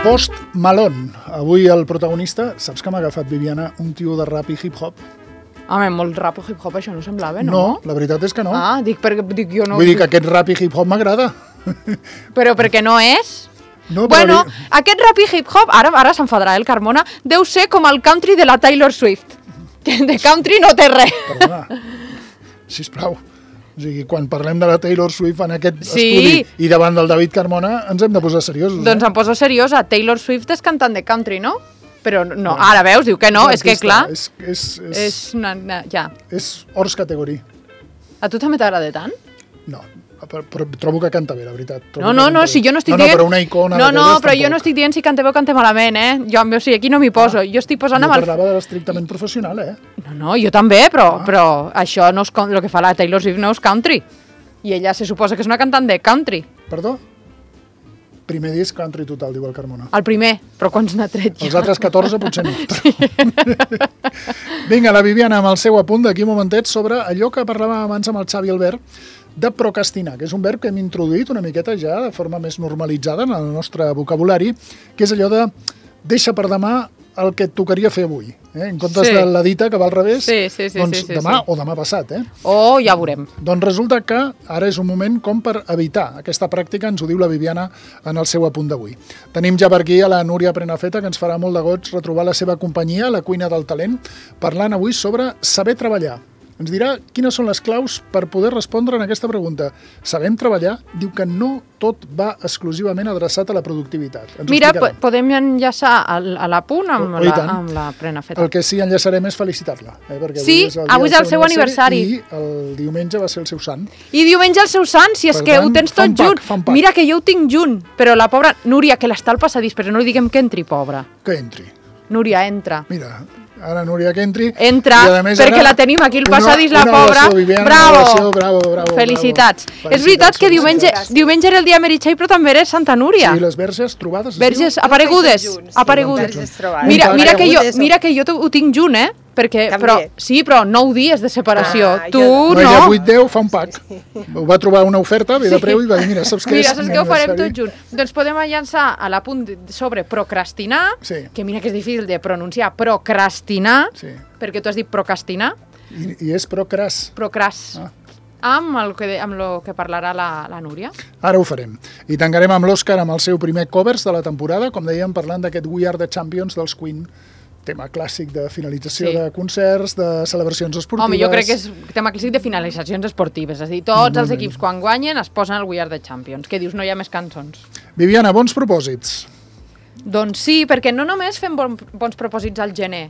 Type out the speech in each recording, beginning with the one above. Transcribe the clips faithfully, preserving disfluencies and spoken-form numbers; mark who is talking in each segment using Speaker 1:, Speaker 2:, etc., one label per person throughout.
Speaker 1: Post Malone. Avui el protagonista, saps que m'ha agafat, Viviana, un tio de rap i hip-hop?
Speaker 2: Home, molt rap o hip-hop això no semblava, no?
Speaker 1: No, la veritat és que no.
Speaker 2: Ah, dic, perquè dic, jo no...
Speaker 1: Vull dir que aquest rap i hip-hop m'agrada.
Speaker 2: Però perquè no és?
Speaker 1: No,
Speaker 2: bueno,
Speaker 1: però...
Speaker 2: aquest rap i hip-hop, ara, ara s'enfadarà el Carmona, deu ser com el country de la Taylor Swift. Que de country no té res.
Speaker 1: Perdona, sisplau. O sigui, quan parlem de la Taylor Swift en aquest
Speaker 2: sí.
Speaker 1: estudi i davant del David Carmona, ens hem de posar seriosos.
Speaker 2: Doncs
Speaker 1: eh?
Speaker 2: em poso seriosa. Taylor Swift és cantant de country, no? Però no, ara veus, diu que no, és, és que clar...
Speaker 1: És, és, és,
Speaker 2: és una, una, ja.
Speaker 1: És hors categoria.
Speaker 2: A tu també t'agrada tant?
Speaker 1: No, però, però trobo que canta bé, la veritat. Trobo
Speaker 2: no, no, no, si jo no estic
Speaker 1: no,
Speaker 2: dient...
Speaker 1: No, però una icona...
Speaker 2: No, no, però jo no estic dient si canta bé o canta malament, eh? Jo, o sigui, aquí no m'hi poso. Ah, jo estic posant amb el...
Speaker 1: Jo parlava de l'estrictament professional, eh?
Speaker 2: No, no, jo també, però,
Speaker 1: ah.
Speaker 2: però això no és... El que fa la Taylor Swift no és country. I ella se suposa que és una cantant de country.
Speaker 1: Perdó? Primer disc country total, diu el Carmona.
Speaker 2: El primer, però quants n'ha tret ja?
Speaker 1: Els altres catorze potser no. Sí. Vinga, la Viviana amb el seu apunt d'aquí un momentet sobre allò que parlàvem abans amb el Xavi Albert, de procrastinar, que és un verb que hem introduït una miqueta ja de forma més normalitzada en el nostre vocabulari, que és allò de deixa per demà el que et tocaria fer avui. Eh? En comptes sí. de la dita que va al revés,
Speaker 2: sí, sí, sí,
Speaker 1: doncs
Speaker 2: sí, sí,
Speaker 1: demà
Speaker 2: sí.
Speaker 1: o demà passat. Eh?
Speaker 2: Oh, ja veurem.
Speaker 1: Doncs resulta que ara és un moment com per evitar aquesta pràctica, ens ho diu la Viviana en el seu apunt d'avui. Tenim ja per aquí a la Núria Prenafeta, que ens farà molt de goig retrobar la seva companyia, la cuina del talent, parlant avui sobre saber treballar. Ens dirà quines són les claus per poder respondre en aquesta pregunta. Sabem treballar? Diu que no tot va exclusivament adreçat a la productivitat. Ens
Speaker 2: Mira, podem enllaçar a l'apunt amb,
Speaker 1: oh,
Speaker 2: la, amb la Prenafeta.
Speaker 1: El que sí enllaçarem és felicitar-la. Eh? Perquè
Speaker 2: sí,
Speaker 1: avui és el,
Speaker 2: avui és el seu aniversari.
Speaker 1: I el diumenge va ser el seu sant.
Speaker 2: I diumenge el seu sant, si és per que tant, ho tens tot junt. Mira que jo ho tinc junt, però la pobra Núria, que l'està al passadís, però no li diguem que entri, pobra.
Speaker 1: Que entri.
Speaker 2: Núria, entra.
Speaker 1: Mira... Ara, Núria, que entri.
Speaker 2: Entra, més, perquè la tenim aquí al passadís, la pobra.
Speaker 1: Viviana,
Speaker 2: bravo.
Speaker 1: Oració, bravo, bravo.
Speaker 2: Felicitats.
Speaker 1: Bravo.
Speaker 2: És veritat que diumenge, diumenge era el dia Meritxell, però també era Santa Núria.
Speaker 1: Sí, les verges trobades.
Speaker 2: Verges aparegudes. aparegudes. Mira, mira, que jo, mira que jo ho tinc junt, eh? Perquè, però, sí, però nou dies de separació. Ah, tu no.
Speaker 1: No, ella vuit deu fa un pack. Ho va trobar una oferta, ve de preu i va dir, mira, saps què és?
Speaker 2: Mira, saps què ho farem tot junt? Doncs podem llançar a l'apunt sobre procrastinar,
Speaker 1: sí.
Speaker 2: que mira que és difícil de pronunciar, procrastinar,
Speaker 1: sí.
Speaker 2: perquè tu has dit procrastinar.
Speaker 1: I, i és procras.
Speaker 2: Procras. Ah. Amb el que, amb el que parlarà la, la Núria.
Speaker 1: Ara ho farem. I tancarem amb l'Òscar amb el seu primer covers de la temporada, com dèiem, parlant d'aquest We Are the Champions dels Queen, tema clàssic de finalització sí. de concerts, de celebracions esportives...
Speaker 2: Home, jo crec que és tema clàssic de finalitzacions esportives, és a dir, tots els equips quan guanyen es posen al We Are the Champions, que dius no hi ha més cançons.
Speaker 1: Viviana, bons propòsits.
Speaker 2: Doncs sí, perquè no només fem bon, bons propòsits al gener.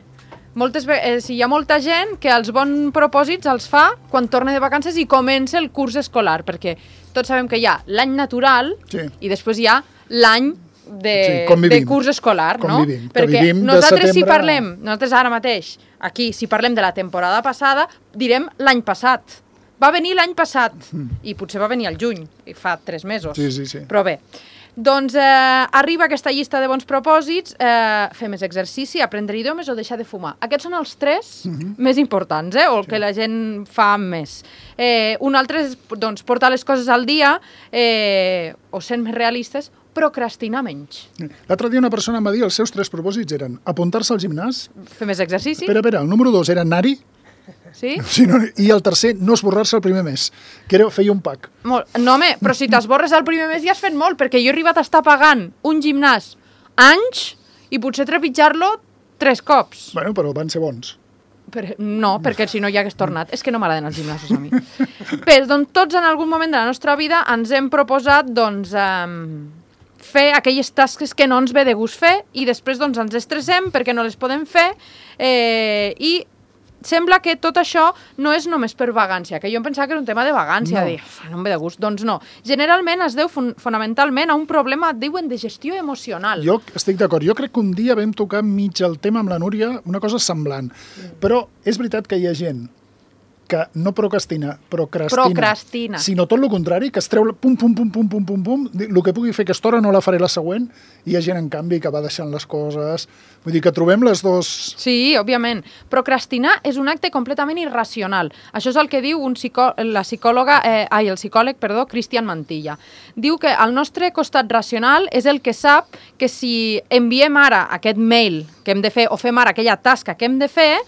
Speaker 2: Moltes vegades, hi ha molta gent que els bons propòsits els fa quan torna de vacances i comença el curs escolar, perquè tots sabem que hi ha l'any natural sí. i després hi ha l'any de, sí, de curs escolar,
Speaker 1: com
Speaker 2: no?
Speaker 1: Vivim,
Speaker 2: perquè
Speaker 1: vivim
Speaker 2: nosaltres
Speaker 1: setembre...
Speaker 2: si parlem, nosaltres ara mateix, aquí, si parlem de la temporada passada, direm l'any passat. Va venir l'any passat, mm. i potser va venir al juny, fa tres mesos.
Speaker 1: Sí, sí, sí.
Speaker 2: Però bé, doncs eh, arriba aquesta llista de bons propòsits, eh, fer més exercici, aprendre idiomes o deixar de fumar. Aquests són els tres mm-hmm. més importants, eh, o el sí. que la gent fa més. Eh, un altre és doncs, portar les coses al dia, eh, o sent més realistes, procrastinar menys.
Speaker 1: L'altre dia una persona em va dir els seus tres propòsits eren apuntar-se al gimnàs...
Speaker 2: Fer més exercici...
Speaker 1: Espera, espera, el número dos era anar-hi...
Speaker 2: Sí?
Speaker 1: sí no, I el tercer, no esborrar-se el primer mes, que era feia un pack.
Speaker 2: Molt. No, home, però si t'esborres el primer mes ja has fet molt, perquè jo he arribat a estar pagant un gimnàs anys i potser trepitjar-lo tres cops.
Speaker 1: Bueno, però van ser bons.
Speaker 2: Per, no, perquè si no ja hagués tornat. És que no m'agraden els gimnasos a mi. Bé, doncs tots en algun moment de la nostra vida ens hem proposat, doncs... Um, fer aquelles tasques que no ens ve de gust fer i després doncs, ens estressem perquè no les podem fer eh, i sembla que tot això no és només per vagància, que jo em pensava que era un tema de vagància, no. de dir, no em ve de gust, doncs no. Generalment es deu fon fonamentalment a un problema, diuen, de gestió emocional.
Speaker 1: Jo estic d'acord, jo crec que un dia vam tocar mig el tema amb la Núria, una cosa semblant, mm. però és veritat que hi ha gent que no procrastina, procrastina,
Speaker 2: Procrastina.
Speaker 1: sinó tot el contrari, que es treu pum, pum, pum, pum, pum, pum, pum, el que pugui fer aquesta hora no la faré la següent, i hi ha gent, en canvi, que va deixant les coses. Vull dir que trobem les dos...
Speaker 2: Sí, òbviament. Procrastinar és un acte completament irracional. Això és el que diu un psicò... la psicòloga, eh, ai, el psicòleg, perdó, Cristian Mantilla. Diu que el nostre costat racional és el que sap que si enviem ara aquest mail que hem de fer, o fem ara aquella tasca que hem de fer,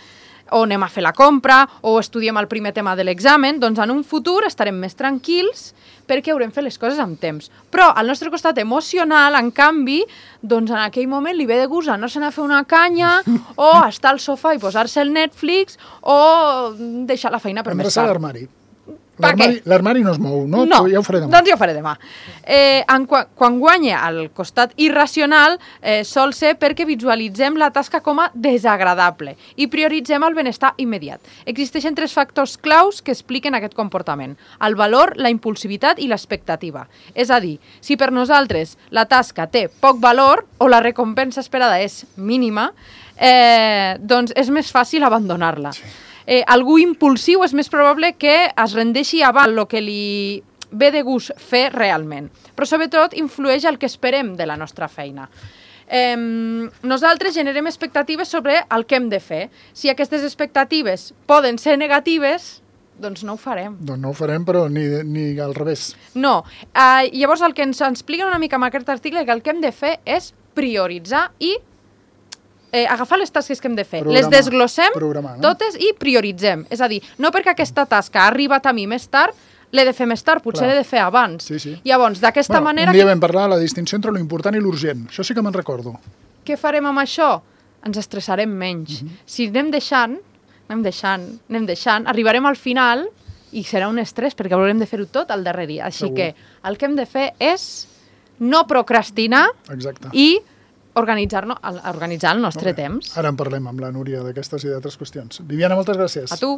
Speaker 2: o anem a fer la compra, o estudiem el primer tema de l'examen, doncs en un futur estarem més tranquils perquè haurem fet les coses amb temps. Però al nostre costat emocional, en canvi, doncs en aquell moment li ve de gust anar-se'n a fer una canya, o estar al sofà i posar-se el Netflix, o deixar la feina per més
Speaker 1: Endreçar
Speaker 2: tard.
Speaker 1: l'armari. L'armari no es mou, no?
Speaker 2: No,
Speaker 1: ja ho faré demà.
Speaker 2: Doncs ja ho faré demà. Eh, en, quan, quan guanya el costat irracional, eh, sol ser perquè visualitzem la tasca com a desagradable i prioritzem el benestar immediat. Existeixen tres factors claus que expliquen aquest comportament: el valor, la impulsivitat i l'expectativa. És a dir, si per nosaltres la tasca té poc valor o la recompensa esperada és mínima, eh, doncs és més fàcil abandonar-la. Sí. Eh, algú impulsiu és més probable que es rendeixi abans el que li ve de gust fer realment. Però sobretot influeix el que esperem de la nostra feina. Eh, nosaltres generem expectatives sobre el que hem de fer. Si aquestes expectatives poden ser negatives, doncs no ho farem.
Speaker 1: Doncs no ho farem, però ni, ni al revés.
Speaker 2: No. Eh, llavors el que ens expliquen una mica amb aquest article és que el que hem de fer és prioritzar i Eh, agafar les tasques que hem de fer,
Speaker 1: Programar,
Speaker 2: les desglossem
Speaker 1: programar, no?
Speaker 2: totes i prioritzem. És a dir, no perquè aquesta tasca ha arribat a mi més tard, l'he de fer més tard, potser l'he de fer abans.
Speaker 1: Sí, sí.
Speaker 2: Llavors, d'aquesta
Speaker 1: bueno,
Speaker 2: manera...
Speaker 1: Un dia vam parlar de la distinció entre l'important i l'urgent. Això sí que me'n recordo.
Speaker 2: Què farem amb això? Ens estressarem menys. Uh -huh. Si anem deixant, anem deixant, anem deixant, arribarem al final i serà un estrès perquè haurem de fer-ho tot al darrer dia. Així Segur. que el que hem de fer és no procrastinar
Speaker 1: Exacte.
Speaker 2: i organitzar-nos, organitzar el nostre temps.
Speaker 1: Ara en parlem amb la Núria d'aquestes i d'altres qüestions. Viviana, moltes gràcies.
Speaker 2: A tu.